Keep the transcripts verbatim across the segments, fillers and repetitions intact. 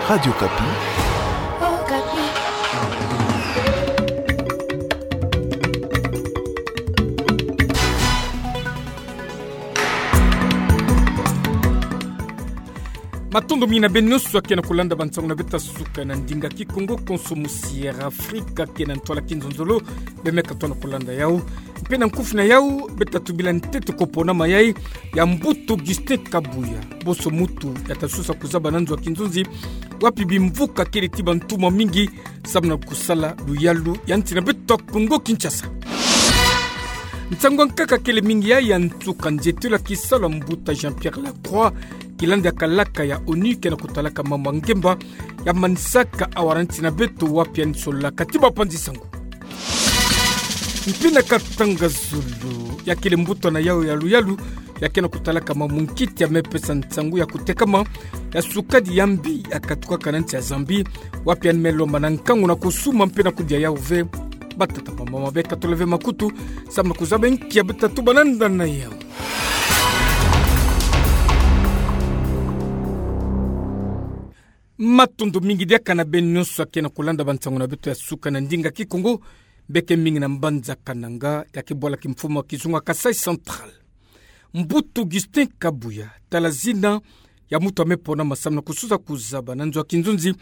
Radio Okapi. Matondo mingi na beno nyonso akena kolanda bansango na beto ya suka na ndinga Kikongo, konso musi Air Afrika, akena ntwala kinzonzolo, bemeka tona kolanda yau. Mpe na nkufi na yau, beta tubila ntete ko pona mayai ya Mbuta Augustin Kabuya, bonso mutu ya ta sosa kuzaba na nzo ya kinzonzi, wapi bimvuka kele ti bantumwa mingi, samu na kusala luyalu ya nsi na beto ya Kongo Kinshasa. Nsangu ya nkaka kele mingi ya ya nsuka nzietelo ya kisalu ya Mbuta Jean-Pierre Lacroix, kilandi ya kalaka ya onu kena kutalaka mambu ya ngemba, ya manisaka awara nsi na beto wapi ya nisolaka ti bapanzi sangu. Mpe na Katanga Zulu, ya kele mbuta na yau ya luyalu, ya kena kutalaka mambu nkiti ya mepesa nsangu ya kutekama ya sukadi ya mbi ya katukaka na nsi ya Zambie, wapi ya ni me lomba na nkangu na kusuma mpe na kudia yau ve. Batata bamama, beka tole ve makutu, samu na kuzaba nki ya beta tuba na nda na yau. Matondo mingi diaka na beno nyonso akena kolanda bansangu na beto ya suka na ndinga Kikongo, beke mingi na mbanza Kananga, ya ke bwala kimfumu ya kizunga Kasaï Central. Mbuta Augustin Kabuya, tala zina ya mutu ya me ponama samu na kusosa kuzaba na nzo ya kinzonzi,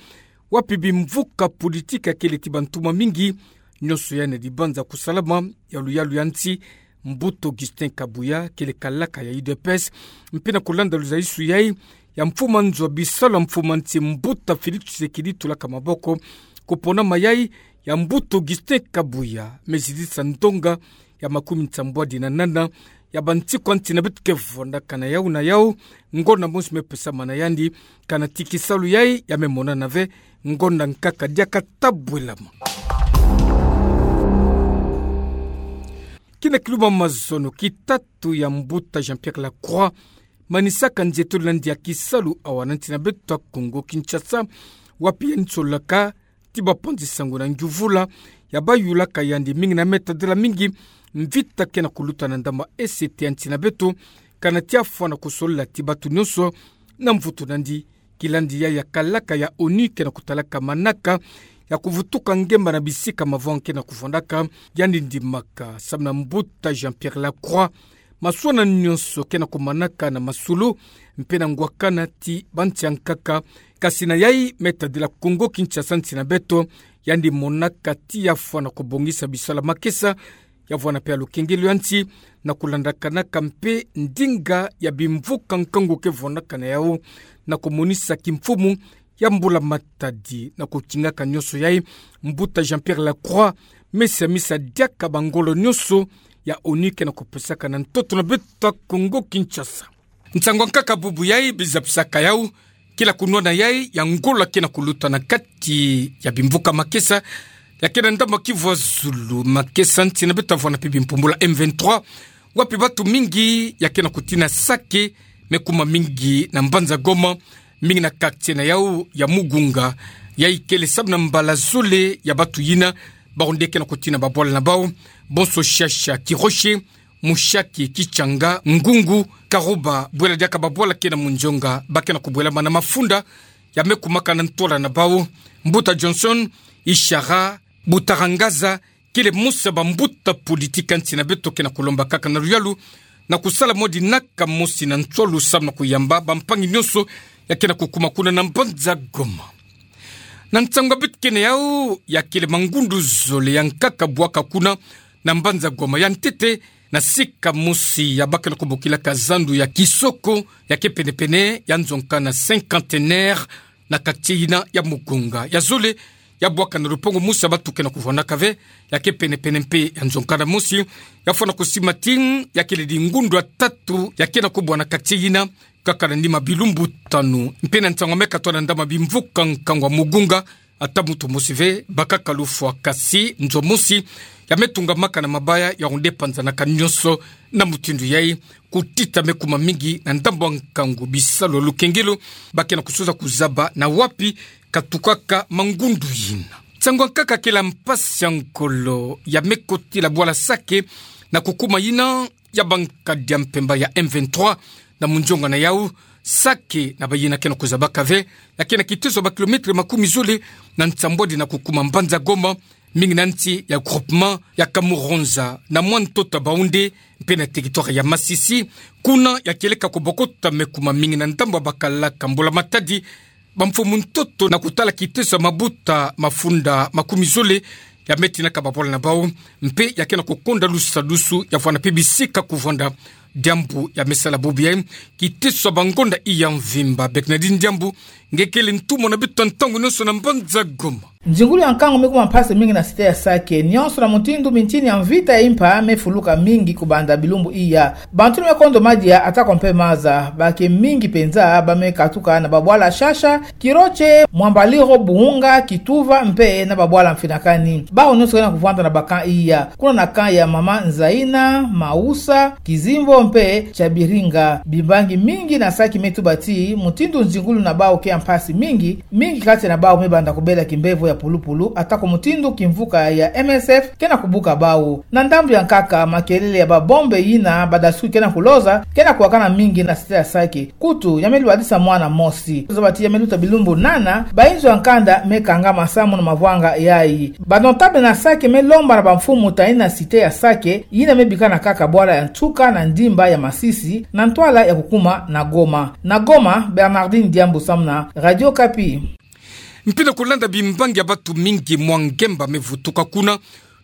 wapi bimvuka politiki ya kele ti bantumwa mingi, nyonso ya na dibanza kusalama ya luyalu ya nsi. Mbuta Augustin Kabuya kele kalaka ya U D P S, mpe na kolanda luzayiswi yai ya mfumu ya nzo ya bisalu ya mfumu ya nsi Mbuta Félix Tshisekedi tula ka maboko, ko pona mayai ya Mbuta Augustin Kabuya me zidisa ndonga ya makumi nsambwadi na nana ya bansiku ya nsi na beto ke vwandaka na yau na yau, ngonda mosi me pesama na yandi, kana ti kisalu yai ya me monana ve, ngonda nkaka diaka ta bwelama. Kina kiluma mazono ki tatu ya Mbuta Jean-Pierre Lacroix, manisaka nzietolo na ndia kisalu awa na nsi na beto ya Kongo Kinshasa, wapi ya nisolaka ti bapanzi sangu na ngiuvula ya bayulaka yandi mingi na me tadila mingi mvita kena kuluta na ndambu ya ese ti ya nsi na beto, kana ti afwana kusolola ti bato nyonso na mvutu na yandi, kilandi ya ya kalaka ya onu kena kutalaka manaka ya kuvutuka ngemba na bisika mavwanga kena kuvwandaka. Yandi ndimaka samu na Mbuta Jean-Pierre Lacroix, maswananu nyonso kena kumanaka na masolo mpe na ngwakana ti bansi ya nkaka, kasi na yai me tadila Kongo Kinshasa, nsi na beto, yandi monaka ti ya fwana kubongisa bisalu ya makesa, ya vwana mpe ya lukengelo ya nsi, na kulandakanaka mpe ndinga ya bimvuka nkangu ke vwanaka na yau, na kumonisa kimfumu ya mbula matadi na kutingaka nyonso yai. Mbuta Jean-Pierre Lacroix me siamisa diaka bangolo nyonso ya onu kena kupesaka na ntoto na beto ya Kongo Kinshasa. Nsangu ya nkaka bubu yai bizapisaka yau, kila kunwana yai ya ngolo kena kuluta na kati ya bimvuka makesa ya kena ndambu ya Kivu ya zulu, makesa nsi na beto ya vwana mpe bimpumbula M vingt-trois, wapi bato mingi ya kena kutina sake me kuma mingi na mbanza Goma, mingi na quartier na yau ya Mugunga. Yai kele samu na mbala zole ya bato yina bawu nde kena kutina babwala na bawu, bonso Shasha, Kiroshi, Mushaki, Kitshanga, Ngungu, Karuba, bwela diaka babwala kena Mundjonga, ba kena kubwelama na mafunda ya me kumaka na ntwala na bawu. Mbuta Johnson Ishara, Butarangaza, kele mosi ya bambuta politiki ya nsi na beto kena kulomba kaka na luyalu na kusala mwa dinaka mosi na nswalu samu na kuyamba bampangi nyonso ya kena kukuma kuna na mbanza Goma. Na nsangu ya beto kena yau, ya kele mangundu zole ya nkaka bwaka kuna na mbanza Goma. Ya ntete, na sika mosi ya ba kena kubokilaka zandu ya Kisoko, ya ke penepene ya nzonka na Cinquantenaire, na quartier yina ya Mugunga. Ya zole, ya bwaka na lupangu mosi ya bato kena kuvwanaka ve, ya ke penepene mpe ya nzonka na mosi, ya fwana kusimati, ya kele di ngundu ya tatu ya kena kubwa na quartier yina, kaka na nima bilumbu tanu. Mpe na nsangu ya me katwa na ndambu ya bimvuka nkangu ya Mugunga, ata moto mosi ve, bakaka lufwa, kasi nzo mosi ya me tungamaka na mabaya, yawu nde panzanaka nyonso. Na mutindu yai, kutita me kuma mingi na ndambu ya nkangu, bisalu ya lukengelo ba kena kusosa kuzaba na wapi katukaka mangundu yina. Nsangu ya nkaka kele mpasi ya ngolo ya me kotila bwala sake na kukuma yina ya bankadi ya mpemba ya M vingt-trois na Mundjonga na yau, Sake na bayina ke na kuzabaka ve, ya ke na kiteso ya ba kilomètre makumi zole na nsambwadi na kukuma mbanza Goma, mingi na nsi ya groupement ya Kamuronza na mwa ntoto ya Baoundé, mpe na territoire ya Masisi, kuna ya kieleka kubokota mekuma mingi na ndambu ya bakala ka mbula-matadi, bamfumu ntoto na kutala kiteso ya mabuta mafunda makumi zole ya me tinaka babwala na bau, mpe ya ke na kukonda lusadusu ya vwanda mpe bisika kuvwanda diambu ya me sala bubu ya. Kiteso ya bangonda iya mvimba, Bernardine Diambu, nge kele ntumwa na beto ntangu nyonso na mbanza Goma. Nzingulu ya nkangu me kuma mpasi mingi na cité ya Sake, nyonso na mutindu mintini ya mvita ya impa me fuluka mingi kubanda bilumbu iya. Bantu ni me kondo madia atako mpe maza, ba ke mingi mpenza ba me katuka na babwala Shasha, Kiroche, Mwambaliro, Buhunga, Kituva, mpe na babwala Mfinakani. Bawu nyonso ke na kuvwanda na ba camp iya. Kuna na camp ya Mama Nzaina, Mausa, Kizimbo mpe Chabiringa. Bimbangi mingi na Sake me tuba ti mutindu nzingulu na bawu ke ya mpasi mingi, mingi kati na bawu me banda kubela kimbevo ya pulupulu, atako mutindu kimvuka ya M S F ke na kubuka bawu. Na ndambu ya nkaka, makelele ya babombe yina badasukiri ke na kuloza ke na kuwakana mingi na cité ya Sake. Kutu, ya me lwadisa mwana mosi. Zaba ti ya me luta bilumbu nana, bayinzo ya nkanda me kangama samu na mavwanga yayi. Ba notable na Sake me lomba na bamfumu ta yina cité ya Sake, yina me bikana kaka bwala ya nsuka na ndimba ya Masisi, na ntwala ya kukuma na Goma. Na Goma, Bernardine Diambu samu na Radio Okapi. Mpi na kulanda bimbangi ya batu mingi mwa ngemba me vutuka kuna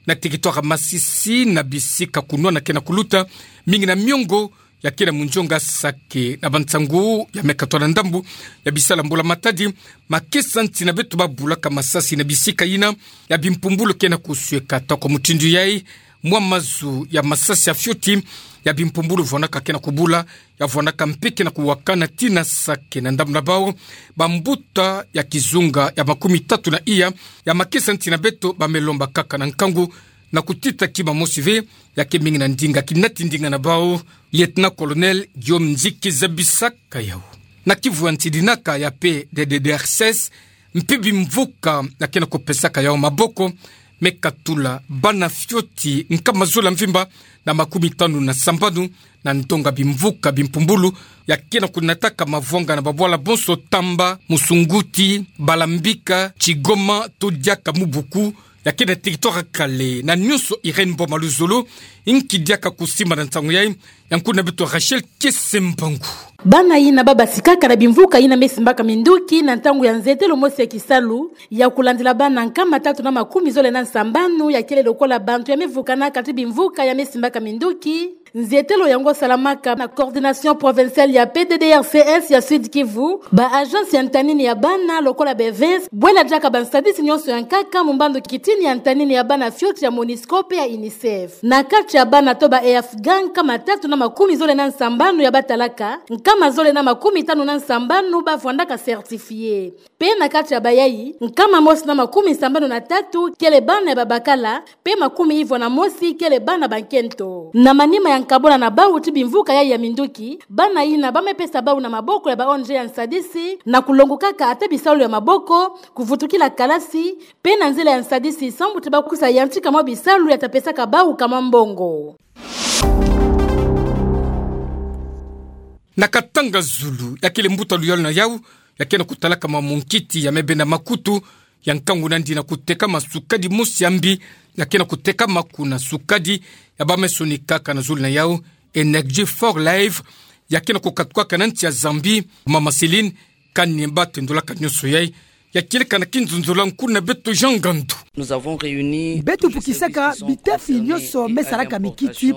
na territoire ya Masisi, na bisika kunwana ke na kuluta mingi na miongo ya ke na munzonga Sake. Na bansangu ya me katwa na ndambu ya bisala mbula-matadi, makesa nsi na beto babulaka masasi na bisika yina ya bimpumbulu ke na kusweka. Atako mutindu yayi, mwa mazu ya masasi ya fioti ya bimpumbulu vwandaka ke na kubula, ya vwandaka mpe ke na kuwakana tii na Sake. Na ndambu na bawu, bambuta ya kizunga ya makumi tatu na iya ya makesa nsi na beto ba me lomba kaka na nkangu na kutita kima mosi ve, ya ke mingi na ndinga kinati ndinga na bawu. Lieutenant-colonel Guillaume Nziki zabisaka yawu. Na Kivu ya nsidinaka ya P D D R S S, mpi bimvuka ya ke na kupesaka yawu maboko me katula bana fioti nkama zole ya mvimba na makumi tanu na sambanu na ndonga bimvuka bimpumbulu ya ke na kunataka mavwanga na babwala bonso Tamba, Musunguti, Balambika, Kigoma, to diaka Mubuku, ya ke na territoire ya Kale. Na nyonso, Irène Mboma Luzolo, inki diaka kusimba na nsangu yayi, ya nkundu na beto Rachel Kesembangu. Bana yina ba basikaka na bimvuka yina me simbaka minduki na ntangu ya nzietelo mosi ya kisalu ya kulandila bana nkama tatu na makumi zole na sambanu ya kele lokola bantu ya me vukanaka tii bimvuka ya me simbaka minduki. Nzietelo yango salamaka na coordination provinciale ya P D D R C S ya Sud-Kivu, ba agence ya ntanini ya bana lokola ba AVENS, bwela diaka bansadisi nyonso ya nkaka, mumbandu kitini ya ntanini ya bana fioti ya MONUSCO mpe ya UNICEF. Na kati ya bana to ba Afghans, nkama tatu na makumi zole na sambanu ya ba talaka, nkama zole na makumi tanu na sambanu ba vwandaka certifiés. Mpe na kati ya bayayi, nkama mosi na makumi sambanu na tatu kele bana ya babakala, mpe makumi ivwa na mosi kele bana bankento. Na manima ya nkabwana na bawu tii bimvuka yayi ya minduki, bana yina ba me pesa bawu na maboko ya ba O N G ya nsadisi, na kulongokaka ata bisalu ya maboko, kuvutukila kalasi, mpe na nzila ya nsadisi, sambu tii ba kusa yantika mwa bisalu ya ta pesaka bawu kama mbongo. Na Katanga-Zulu, ya kele mbuta luyalu na yawu, ya ke na kutalaka mwa munkiti ya me benda makutu, ya nkangu nandi na kutekama sukadi mosi ya mbi, ya ke na kutekama kuna, sukadi ya ba me sonikaka na zulu na yawu, Energy for Life, ya ke na kukatukaka na nsi ya Zambie. Mama Céline, kani ba tendolaka nyonso yayi, ya kieleka na kinzonzolo ya nkundu na beto Jean Ngandu. Nous avons réuni Beto fukisaka bitafi nyonso me salaka mikiti,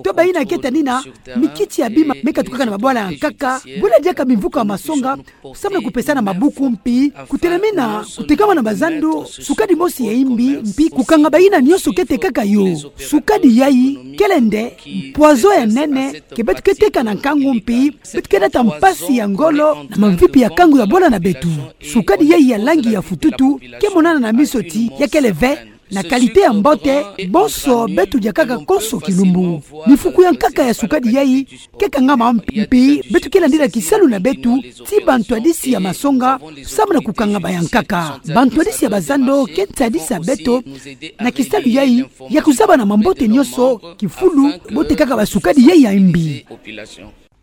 to bayina keta nina mikiti ya bima me katukaka na babwala ya nkaka, bwela diaka bimvuka ya masonga, samu na kupesana mabuku mpi kutelamina kutekama na bazando sukadi mosi ya imbi, mpi kukanga bayina nyonso ke tekaka yo. Sukadi yayi kele nde poison ya nene ke beto ke teka na nkangu, mpi beto ke nata mpasi ya ngolo na mamvipi ya kangu ya bwala na beto. Sukadi yayi ya langi ya fututu ke monana na miso ti ya kele ve na qualité ya mbote, bonso beto diakaka konso kilumbu. Mifuku ya nkaka ya sukadi yayi ke kangama mpi, mpi beto ke landila kisalu na beto ti bantwadisi ya masonga, samu na kukangama ya nkaka. Bantwadisi ya bazando ke nsadisa beto na kisalu yayi ya kuzaba na mambote nyonso kifulu bo tekaka basukadi yayi ya imbi.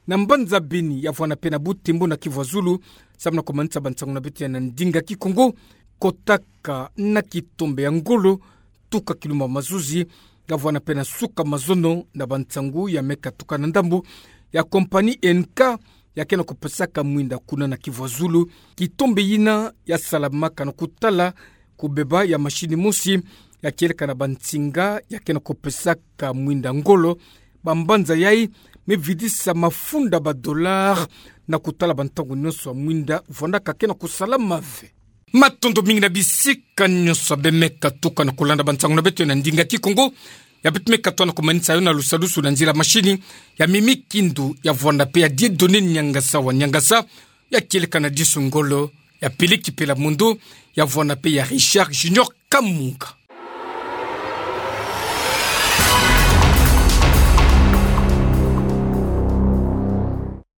Na mbanza Beni ya vwanda pe na Butembo na Kivu Azulu, samu na komanisa bansangu na beto ya na ndinga Kikongo. Kotaka na kitombe ya ngolo, tuka kilumba mazuzi, ya vwanda pe na suka mazono na bansangu ya me katuka na ndambu ya compagnie N K, ya ke na kopesaka mwinda kuna na Kivu Azulu. Kitombe yina ya salamaka na kutala kubeba ya mashini mosi ya kieleka na bansinga ya ke na kopesaka mwinda ngolo. Bambanza yayi me vidisa mafunda ba dollars na kutala bantangu nyonso ya mwinda vwandaka ke na kusalama ve. Matondo mingi na bisika nyonso ya be me katuka na kulanda bansangu na beto ya na ndinga Kikongo, ya beto me katoa na komanisa yo na lusalusu na nzila mashini ya Mimi Kindu, ya vwanda pe ya Dieudonné Niangasa wa Niangasa, ya kieleka na Disu Ngolo, ya Peleki Pelamundu, ya vwanda pe ya Richard Junior Kamunga.